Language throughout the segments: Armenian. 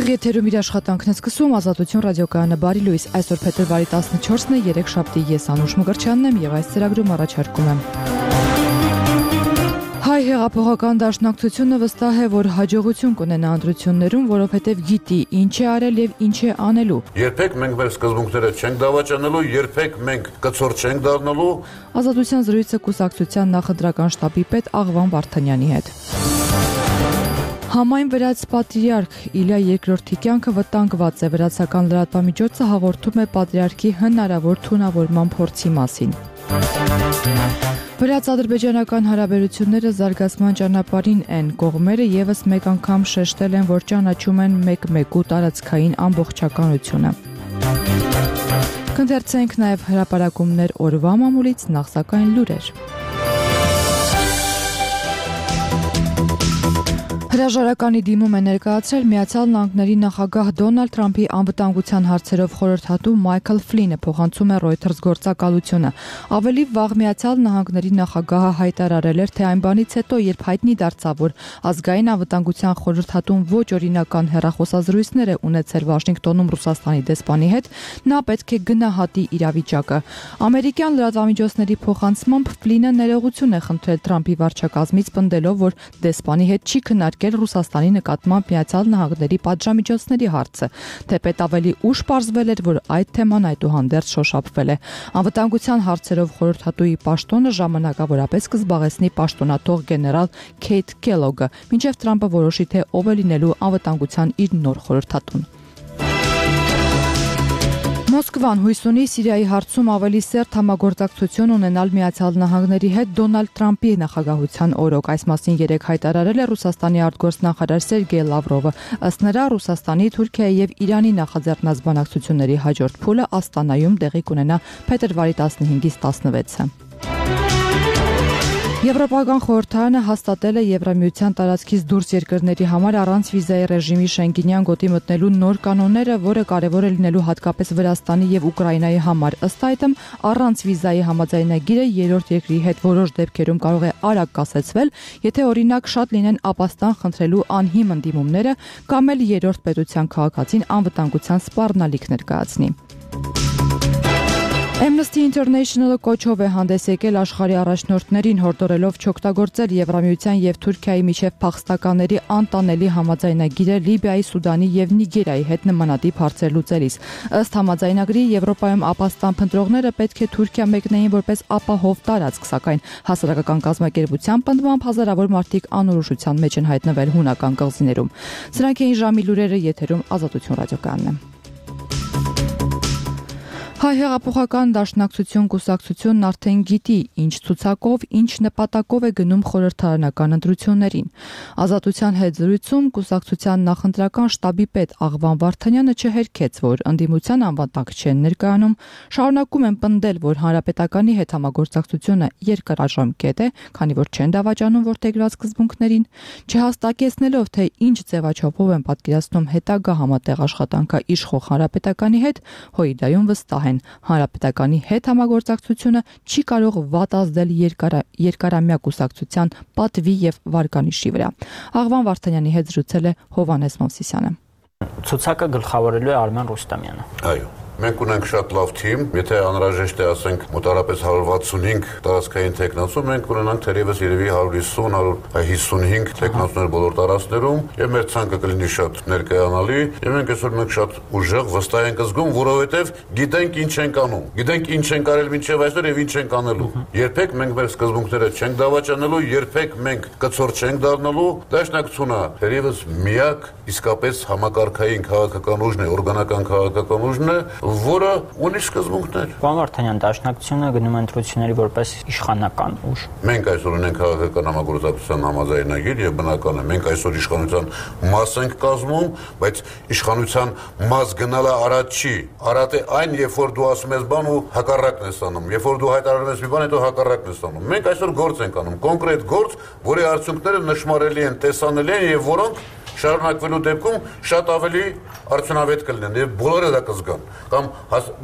Եթերում իր աշխատանքն է սկսում Ազատություն ռադիոկայանը բարի լույս, այսօր փետրվարի 14-ն է, երեքշաբթի, ես Անուշ Մկրտչյանն եմ եւ այս ծրագրում առաջարկում եմ։ Հայ հեղափոխական դաշնակցությունը վստահ է, որ հաջողություն կունենա ընտրություններում, որովհետև գիտի ինչ է արել եւ ինչ է անելու։ Երբեք մենք մեր սկզբունքները չենք դավաճանելու, երբեք մենք կցոր չենք դառնալու։ Ազատության զրույցը կուսակցության նախընտրական շտաբի պետ Աղվան Վարդանյանի հետ։ Համայն վրաց պատրիարք Իլյա II կյանքը վտանգված է, վրացական լրատվամիջոցը հաղորդում է պատրիարքի հնարավոր թունավորման փորձի մասին։ Վրաց-ադրբեջանական հարաբերությունները զարգացման ճանապարհին են, կողմերը եւս մեկ անգամ շեշտել են, որ ճանաչում են մեկ-մեկու տարածքային ամբողջականությունը։ Կընթերցենք նաեւ հրապարակումներ օրվա մամուլից, նախ սակայն լուրեր։ Հրաժարականի դիմում է ներկայացրել Միացյալ Նահանգների նախագահ Դոնալդ Թրամփի անվտանգության հարցերով խորհրդատու Մայքլ Ֆլինը, փոխանցում է Reuters գործակալությունը։ Ավելի վաղ Միացյալ Նահանգների նախագահը հայտարարել էր, թե այն բանից հետո, երբ հայտնի դարձավ, որ ազգային անվտանգության խորհրդատուն ոչ օրինական հեռախոսազրույցներ է ունեցել Վաշինգտոնում Ռուսաստանի դեսպանի հետ, նա պետք է գնահատի իրավիճակը։ Ամերիկյան լրատվամիջոցների փոխանցմամբ Ֆլինը ներողություն է խնդրել Թրամփի վարչակազմից, պնդելով, որ դեսպանի հետ չի քննարկել Ռուսաստանի նկատմամբ Միացյալ Նահանգների պատժամիջոցների հարցը, թեպետ ավելի ուշ պարզվել էր, որ այդ թեման այդուհանդերձ շոշափվել է։ Անվտանգության հարցերով խորհրդատուի պաշտոնը ժամանակավորապես կզբաղեցնի պաշտոնաթող գեներալ Քեյթ Քելոգը, մինչև Թրամփը որոշի, թե ով է լինելու անվտանգության իր նոր խորհրդատուն։ Մոսկվան հույս ունի Սիրիայի հարցում ավելի սերտ համագործակցություն ունենալ Միացյալ Նահանգների հետ Դոնալդ Թրամփի նախագահության օրոք։ Այս մասին երեկ հայտարարել է Ռուսաստանի արտգործնախարար Սերգեյ Լավրովը։ Ըստ նրա, Ռուսաստանի, Թուրքիայի եւ Իրանի նախաձեռնած բանակցությունների հաջորդ փուլը Աստանայում տեղի կունենա փետրվարի 15-ից 16-ը։ Եվրոպական խորհրդարանը հաստատել է Եվրամիության տարածքից դուրս երկրների համար առանց վիզայի ռեժիմի Շենգենյան գոտի մտնելու նոր կանոնները, որը կարևոր է լինելու հատկապես Վրաստանի եւ Ուկրաինայի համար։ Ըստ այդմ, առանց վիզայի համաձայնագիրը երրորդ երկրի հետ որոշ դեպքերում կարող է արագ կասեցվել, եթե օրինակ շատ լինեն ապաստան խնդրելու անհիմն դիմումները կամ էլ երրորդ պետության քաղաքացին անվտանգության սպառնալիք ներկայացնի։ Amnesty International-ը կոչով է հանդես եկել աշխարհի առաջնորդներին, հորդորելով չօգտագործել Եվրամիության եւ Թուրքիայի միջև փախստականների անտանելի համաձայնագիրը Լիբիայի, Սուդանի եւ Նիգերիայի հետ նմանատիպ հարցեր լուծելիս։ Ըստ համաձայնագրի Եվրոպայում ապաստան փնտրողները պետք է Թուրքիա մեկնեին որպես ապահով տարածք, սակայն հասարակական կազմակերպության պնդմամբ հազարավոր մարդիկ անորոշության մեջ են հայտնվել հունական կղզիներում։ Սրանք էին ժամի լուրերը, եթերում Ազատություն ռադիոկայանն է։ Հայ հեղափոխական դաշնակցություն կուսակցությունն արդեն գիտի, ինչ ցուցակով, ինչ նպատակով է գնում խորհրդարանական ընտրություններին։ Ազատության հետ զրույցում կուսակցության նախընտրական շտաբի պետ Աղվան Վարդանյանը չհերքեց, որ ընդդիմության անվտանգ չեն ներկայանում, շարունակում են պնդել, որ հանրապետականի հետ համագործակցությունը երկարաժամկետ է, քանի որ չեն դավաճանում որդեգրած սկզբունքներին, չհաստատեցնելով, թե ինչ ձևաչափով են պատկերացնում հետագա համատեղ աշխատանքը իշխող հանրապետականի հետ, Հույդայում վստահ Հանրապետականի հետ համագործակցությունը չի կարող վատ ազդել երկարամյա կուսակցության պատվի եւ վարկանիշի վրա։ Աղվան Վարդանյանի հետ զրուցել է Հովհաննես Մովսիսյանը։ Ցուցակը գլխավորելու է Արմեն Ռուստամյանը։ Այո։ Մենք ունենք շատ լավ թիմ, եթե անհրաժեշտ է, ասենք, մոտարապես 165 տարածքային տեխնացու, մենք ունենանք թերևս երևի 150-155 տեխնացուներ բոլոր տարածքներում, եւ մեր ցանկը կլինի շատ ներկայանալի, եւ մենք այսօր մենք շատ ուժեղ վստահ ենք զգում, որովհետեւ գիտենք ինչ ենք անում, գիտենք ինչ ենք արել մինչեւ այսօր եւ ինչ ենք անելու։ Երբեք մենք մեր սկզբունքները չենք դավաճանելու, երբեք մենք կցոր չենք դառնալու, դաշնակցությունը թերևս միակ իսկապես համակարգային քաղաքական ուժն է, օրգանական քաղաքական ուժն է, որը ունի սկզբունքներ։ Պարոն Վարդանյան, դաշնակցությունը գնում է ընտրությունների որպես իշխանական ուժ։ Մենք այսօր ունենք քաղաքական համագործակցության համաձայնագիր եւ բնական է, մենք այսօր իշխանության մաս ենք կազմում, բայց իշխանության մաս գնալը արատ չի։ Արատ է այն, երբ որ դու ասում ես բան ու հակառակն ես անում, երբ որ դու հայտարարում ես մի բան, հետո հակառակն ես անում։ Մենք այսօր գործ ենք անում, կոնկրետ գործ, որի արդյունքները նշմարելի են, տեսանելի են եւ որոնք շարունակվելու դեպքում շատ ավելի արդյունավետ կլինեն եւ բոլորը դա կզգան կամ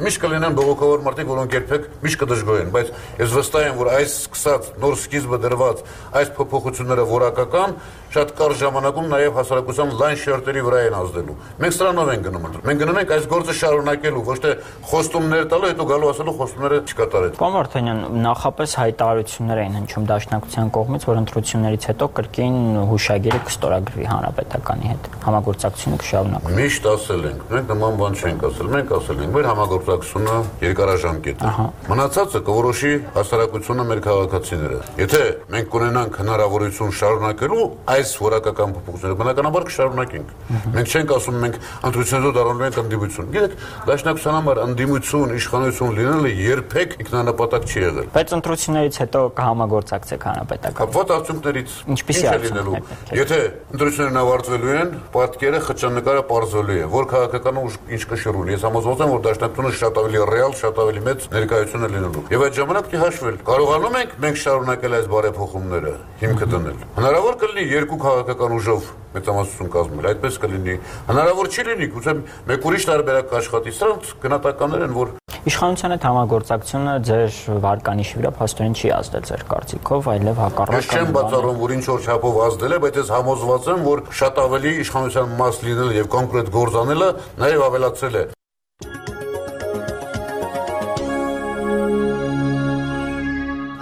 միշտ կլինեն բողոքավոր մարդիկ, որոնք երբեք միշտ կդժգոհեն, բայց ես վստահ եմ, որ այս սկսած նոր սկիզբը դրված այս փոփոխությունները որակական շատ կարճ ժամանակում նաեւ հասարակության լայն շերտերի վրա են ազդելու։ Մենք սրանով ենք գնում ընտրել։ Մենք գնում ենք այս գործը շարունակելու, ոչ թե խոստումներ տալու, հետո գալու ասելու խոստումները չկատարել։ Պարոն Վարդանյան, նախապես հայտարարություններ էին հնչում Դաշնակցության կողմից, որ ընտրություններից հետո կրկին հուշագիրը կստորագրվի Հանրապետականի հետ։ Համագործակցությունը կշարունակվի։ Միշտ ասել ենք, մենք նման բան չենք ասել, մենք ասել ենք, մեր համագործակցությունը երկարաժամկետ է։ Մնացածը կորոշի հասարակությունը, մեր քաղաքացիները։ Եթե մենք կունենանք հնարավորություն շարունակելու այս որակական փոփոխությունները, բնականաբար կշարունակենք։ Մենք չենք ասում մենք ընտրություններով դառնալու ենք ընդդիմություն։ Գիտեք, Դաշնակցության համար ընդդիմություն, իշխանություն լինելը երբեք ինքնանպատակ չի եղել։ Բայց ընտրություններից հետո կհամագործակցեք Հանրապետական։ Կապված արդյունքներից ինչպիսի է լինելու։ Եթե ընտրություններն ավարտվելու են, պատկերը խճանկարը պարզվելու է, որ քաղաքական ուժ ինչ կշռունի։ Ես համոզված եմ, որ Դաշնակցությունը շատ ավելի ռեալ, շատ ավելի մեծ ներկայություն է լինելու։ Եվ այդ ժամանակ չի հաշվել։ Կարողանում ենք մենք շարունակել այս բարեփոխումները, հիմքը դնել։ Հնարավոր կլինի երկու քաղաքական ուժով մեծամասնություն կազմել, այդպես կլինի։ Հնարավոր չի լինի, գուցե մեկ ուրիշ տարբերակ կաշխատի։ Սրանք գնահատականներ են, որ իշխանության հետ համագործակցությունը ձեր վարկանիշի վրա փաստորեն չի ազդել ձեր կարծիքով, այլև հակառակը։ Ես չեմ բացառում, որ ինչ որ չափով ազդել է, բայց ես համոզված եմ, որ շատ ավելի իշխանության մաս լինելը եւ կոնկրետ գործ անելը նաեւ ավելացել է։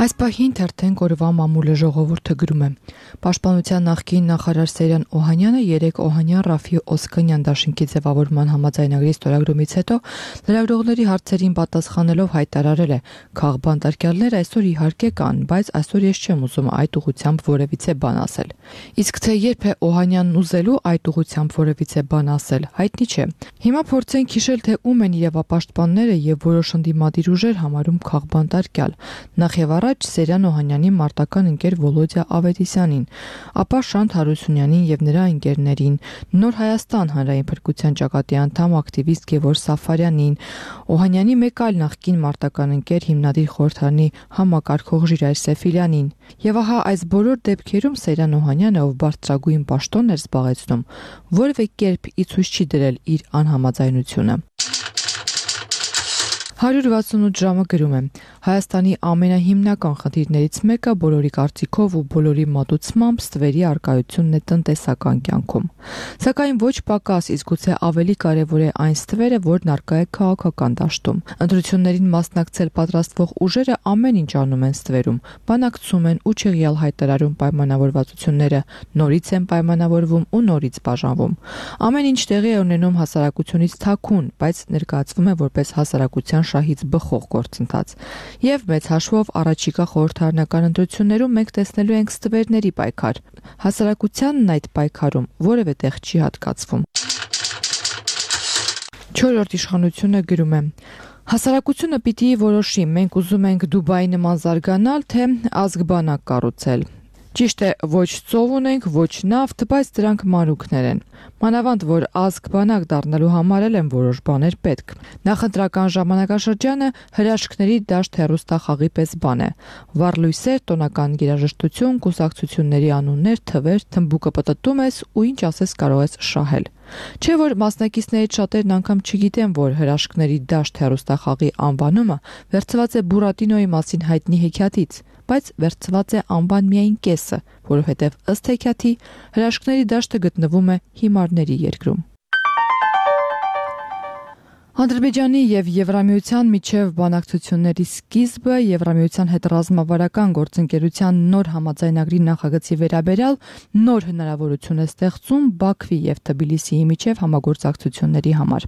Այս պահին թերթեն օրվա մամուլը ժողովուրդը գրում է. Պաշտպանության նախկին նախարար Սերյան Օհանյանը երեկ Օհանյան Ռաֆի Օսկանյան դաշինքի ձևավորման համաձայնագրի ստորագրումից հետո լրագրողների հարցերին պատասխանելով հայտարարել է. «Քաղբանտարկյալներ այսօր իհարկե կան, բայց այսօր ես չեմ ուզում այդ ուղղությամբ որևիցե բան ասել»։ Իսկ թե երբ է Օհանյանն ուզելու այդ ուղղությամբ որևիցե բան ասել, հայտնի չէ։ Հիմա փորձենք հիշել, թե ում են իրավապաշտպանները եւ որոշ ընդդիմադիր ուժեր համարում քաղբանտարկյալ։ Նախ եւ առաջ Սերյան Օհանյանի մարտական ընկեր Վոլոդիա Ավետիսյանին, ապա Շանթ Հարությունյանին եւ նրա ընկերներին, Նոր Հայաստան հանրային փրկության ճակատի անդամ ակտիվիստ Գևորգ Սաֆարյանին, Օհանյանի մեկ այլ նախկին մարտական ընկեր հիմնադիր խորհրդարանի համակարգող Ժիրայր Սեֆիլյանին։ Եվ ահա այս բոլոր դեպքերում Սերյան Օհանյանը, ով բարձրագույն պաշտոն էր զբաղեցնում, որևէ կերպ ի ցույց չի դրել իր անհամաձայնությունը։ 168 ժամը գրում է. Հայաստանի ամենահիմնական խնդիրներից մեկը բոլորի կարծիքով ու բոլորի մատուցմամբ ստվերի արկայությունն է տնտեսական կյանքում։ Սակայն ոչ պակաս, իսկ գուցե ավելի կարևոր է այն ստվերը, որն արկա է քաղաքական դաշտում։ Ընտրություններին մասնակցել պատրաստվող ուժերը ամեն ինչ անում են ստվերում, բանակցում են ու չեղյալ հայտարարում պայմանավորվածությունները, նորից են պայմանավորվում ու նորից բաժանվում։ Ամեն ինչ տեղի է ունենում հասարակությունից թաքուն, բայց ներկայացվում է որպես հասարակության շահից բխող գործընթաց։ Եվ մեծ հաշվով առաջիկա խորհրդարանական ընտրություններում մենք տեսնելու ենք ստվերների պայքար։ Հասարակությանն այդ պայքարում որևէ տեղ չի հատկացվում։ 4-րդ իշխանությունը գրում է. Հասարակությունը պիտի որոշի, մենք ուզում ենք Դուբայի նման զարգանալ, թե ազգբանակ կառուցել։ Ճիշտ է, ոչ ծով ունենք, ոչ նավթ, բայց դրանք մանրուքներ են։ Մանավանդ, որ ազգբանակ դառնալու համար են որոշ բաներ պետք։ Նախընտրական ժամանակաշրջանը հրաշքների դաշտ հեռուստախաղի պես բան է։ Վառլույսեր, տոնական երաժշտություն, կուսակցությունների անուններ, թվեր, թմբուկը պտտում ես ու ինչ ասես կարող ես շահել։ Չէ՞ որ մասնակիցներից շատերն անգամ չգիտեն, որ հրաշքների դաշտ հեռուստախաղի անվանումը վերցված է Բուրատինոյի մասին հայտնի հեքիաթից, բայց վերցված է անվան միայն կեսը, որովհետև ըստ հեքիաթի հրաշքների դաշտը գտնվում է հիմարների երկրում։ Ադրբեջանի եւ Եվրամիության միջև բանակցությունների սկիզբը Եվրամիության հետ ռազմավարական գործընկերության նոր համաձայնագրի նախագծի վերաբերյալ նոր հնարավորություն է ստեղծում Բաքվի եւ Թբիլիսիի միջև համագործակցությունների համար։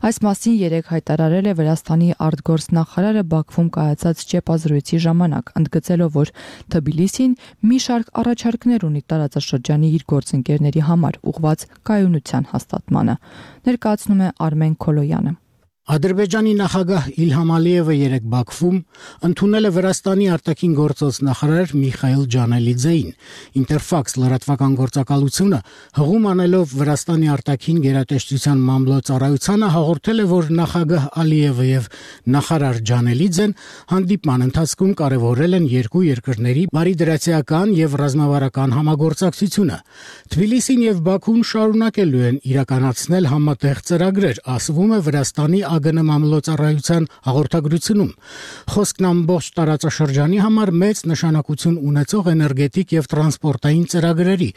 Այս մասին երեկ հայտարարել է Վրաստանի արտգործնախարարը Բաքվում կայացած ճեպազրույցի ժամանակ, ընդգծելով, որ Թբիլիսին մի շարք առաջարկներ ունի տարածաշրջանի իր գործընկերների համար ուղղված կայունության հաստատմանը, ներկայացնում է Արմեն Քոլոյանը։ Ադրբեջանի նախագահ Իլհամ Ալիևը երեկ Բաքվում ընդունել է Վրաստանի արտաքին գործոց նախարար Միխայիլ Ջանելիձեին։ Ինտերֆաքս լրատվական գործակալությունը հղում անելով Վրաստանի արտաքին գերատեսչության մամլոյցարայությանը հաղորդել է, որ նախագահ Ալիևը եւ նախարար Ջանելիձեն հանդիպման ընթացքում կարևորել են երկու երկրների բարիդրացիական եւ ռազմավարական համագործակցությունը։ Թբիլիսին եւ Բաքուն շարունակելու են իրականացնել համատեղ ծրագրեր, ասվում է Վրաստանի ԱԳՆ մամլոյցարայության հաղորդագրությունում։ Խոսքն ամբողջ տարածաշրջանի համար մեծ նշանակություն ունեցող էներգետիկ եւ տրանսպորտային ծրագրերի,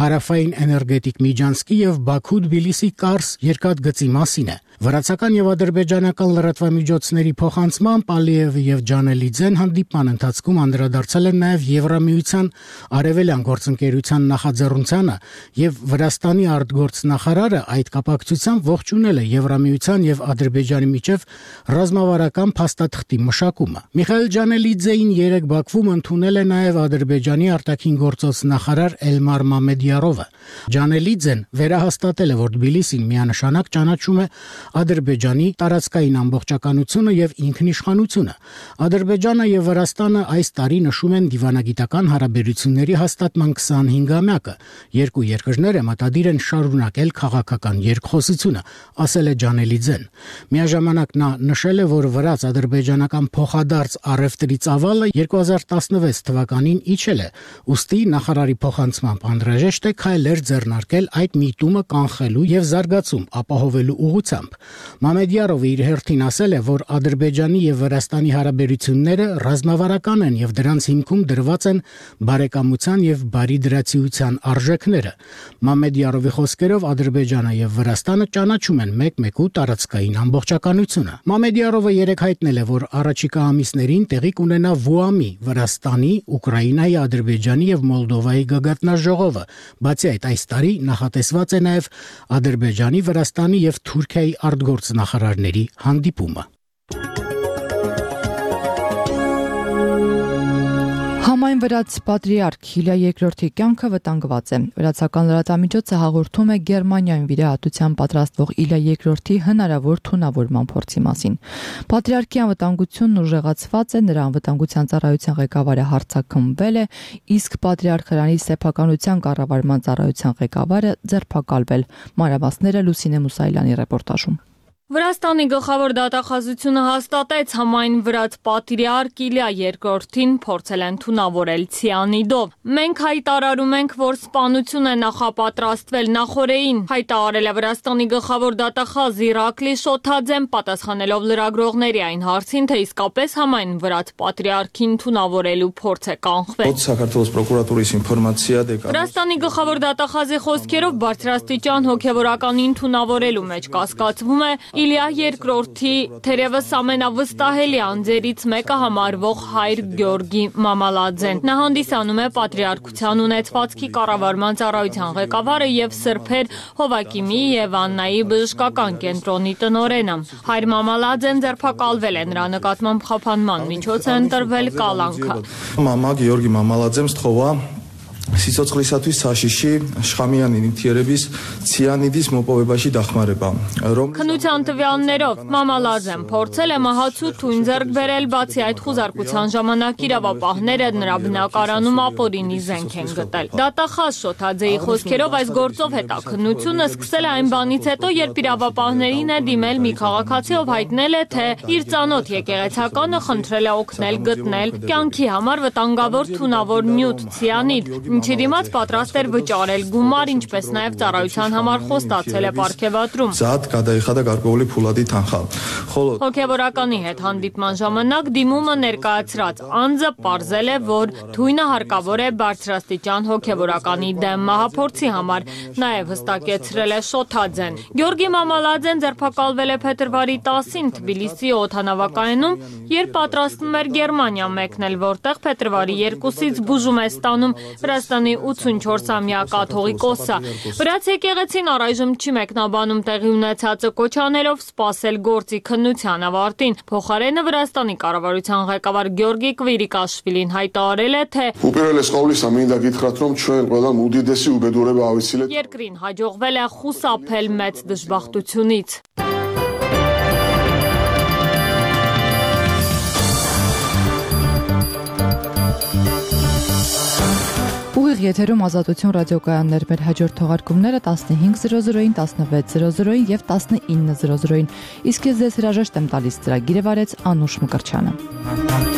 հարավային էներգետիկ միջանցքի եւ Բաքու-Թբիլիսի կարս երկաթգծի մասին է։ Վրացական եւ ադրբեջանական լրատվամիջոցների փոխանցմամբ Ալիևը եւ Ջանելիձեն հանդիպման ընթացքում անդրադարձել են նաեւ Եվրամիության արևելյան գործընկերության նախաձեռնությանը եւ Վրաստանի արտգործնախարարը այդ կապակցությամբ ողջունել է Եվրամիության եւ Ադրբեջանի միջև ռազմավարական փաստաթղթի մշակումը։ Միխայիլ Ջանելիձեին երեկ Բաքվում ընդունել է նաեւ Ադրբեջանի արտաքին գործոց նախարար Էլմար Մամեդյարովը։ Ջանելիձեն վերահաստատել է, որ Թբիլիսին միանշանակ ճանաչում է Ադրբեջանի տարածքային ամբողջականությունը եւ ինքնիշխանությունը։ Ադրբեջանը եւ Վրաստանը այս տարի նշում են դիվանագիտական հարաբերությունների հաստատման 25-ամյակը։ Երկու երկրները մտադիր են շարունակել քաղաքական երկխոսությունը, ասել է Ջանելիձեն։ Միաժամանակ նա նշել է, որ վրաց-ադրբեջանական փոխադարձ առևտրի ծավալը 2016 թվականին իջել է, ուստի նախարարի փոխանցմամբ անհրաժեշտ է քայլեր ձեռնարկել այդ միտումը կանխելու եւ զարգացում ապահովելու ուղղությամբ։ Մամեդյարովը իր հերթին ասել է, որ Ադրբեջանի եւ Վրաստանի հարաբերությունները ռազմավարական են եւ դրանց հիմքում դրված են բարեկամության եւ բարիդրացիության արժեքները։ Մամեդյարովի խոսքերով Ադրբեջանը եւ Վրաստանը ճանաչում են մեկ-մեկու տարածքային ամբողջականությունը։ Մամեդյարովը երեկ հայտնել է, որ առաջիկա ամիսներին տեղի կունենա ՎՈԱՄ-ի, Վրաստանի, Ուկրաինայի, Ադրբեջանի եւ Մոլդովայի գագաթնաժողովը։ Բացի այդ, այս տարի նախատեսված է նաեւ Ադրբեջանի, Վրաստանի եւ Թուրքիայի արտգործնախարարների հանդիպումը։ Համայն վրաց պատրիարք Իլյա II կյանքը վտանգված է։ Վրացական լրատվամիջոցը հաղորդում է Գերմանիայում վիրահատության պատրաստվող Իլյա II հնարավոր թունավորման փորձի մասին։ Պատրիարքի անվտանգությունն ուժեղացված է, նրա անվտանգության ծառայության ղեկավարը հարձակումվել է, իսկ պատրիարք Հրանի սեփականության կառավարման ծառայության ղեկավարը ձերբակալվել։ Մանրամասները Լուսինե Մուսայելյանի ռեպորտաժում։ Վրաստանի գլխավոր դատախազությունը հաստատեց համայն վրաց պատրիարք Իլյա II-ին փորձել են թունավորել ցիանիդով։ Մենք հայտարարում ենք, որ սպանություն է նախապատրաստվել նախօրեին, հայտարարել է Վրաստանի գլխավոր դատախազ Իրակլի Շոթաձեն, պատասխանելով լրագրողների այն հարցին, թե իսկապես համայն վրաց պատրիարքին թունավորելու փորձ է կանխվել։ Վրաստանի գլխավոր դատախազի խոսքերով բարձրաստիճան հոգևորականին թունավորելու մեջ կասկածվում է Իլյա II-ի թերևս ամենավստահելի անձերից մեկը համարվող հայր Գյորգի Մամալաձեն։ Նա հանդիսանում է պատրիարքության ունեցվածքի կառավարման ծառայության ղեկավարը եւ սրբեր Հովակիմի եւ Աննայի բժշկական կենտրոնի տնօրենը։ Հայր Մամալաձեն ձերբակալվել է, նրա նկատմամբ խափանման միջոց է ընտրվել կալանքը։ Մամա Գյորգի Մամալաձեն ստխովա Սիցոցխլիսատույց Սաշիշի Շխամյանին թերևիս ցիանիդիս մոպովեբաշի դախմարեբա։ Քննության տվյալներով Մամալաձեն փորձել է մահացու թույն ձեռք բերել, բացի այդ խուզարկության ժամանակ իրավապահները նրա բնակարանում ապօրինի զենք են գտել։ Դատախազ Շոթաձեի խոսքերով այս գործով հետաքննությունը սկսել է այն բանից հետո, երբ իրավապահներին է դիմել մի քաղաքացի, ով հայտնել է, թե իր ծանոթ եկեղեցականը խնդրել է օգնել գտնել կյանքի համար վտանգավոր թունավոր նյութ ցիանիդ, ինչի դիմաց պատրաստ էր վճարել գումար, ինչպես նաև ծառայության համար խոստացել է պարգևատրում։ Հոգևորականի հետ հանդիպման ժամանակ դիմումը ներկայացրած անձը պարզել է, որ թույնը հարկավոր է բարձրաստիճան հոգևորականի դեմ մահափորձի համար, նաև հստակեցրել է Շոթաձեն։ Գյորգի Մամալաձեն ձերբակալվել է փետրվարի 10-ին Թբիլիսի օդանավակայանում, երբ պատրաստվում էր Գերմանիա մեկնել, որտեղ փետրվարի 2-ից բուժում է ստանում Վրաստանի 84-ամյա կաթողիկոսը։ Վրաց եկեղեցին առայժմ չի մեկնաբանում տեղի ունեցածը, կոչ անելով սպասել գործի քննության ավարտին։ Փոխարենը Վրաստանի կառավարության ղեկավար Գյորգի Կվիրիկաշվիլին հայտարարել է, թե երկրին հաջողվել է խուսափել մեծ դժբախտությունից։ Ուղիղ եթերում Ազատություն ռադիոկայաններ, մեր հաջորդ թողարկումները 15:00-ին, 16:00-ին եւ 19:00-ին։ Իսկ ես ձեզ հրաժեշտ եմ տալիս, ծրագիրը վարեց Անուշ Մկրչյանը։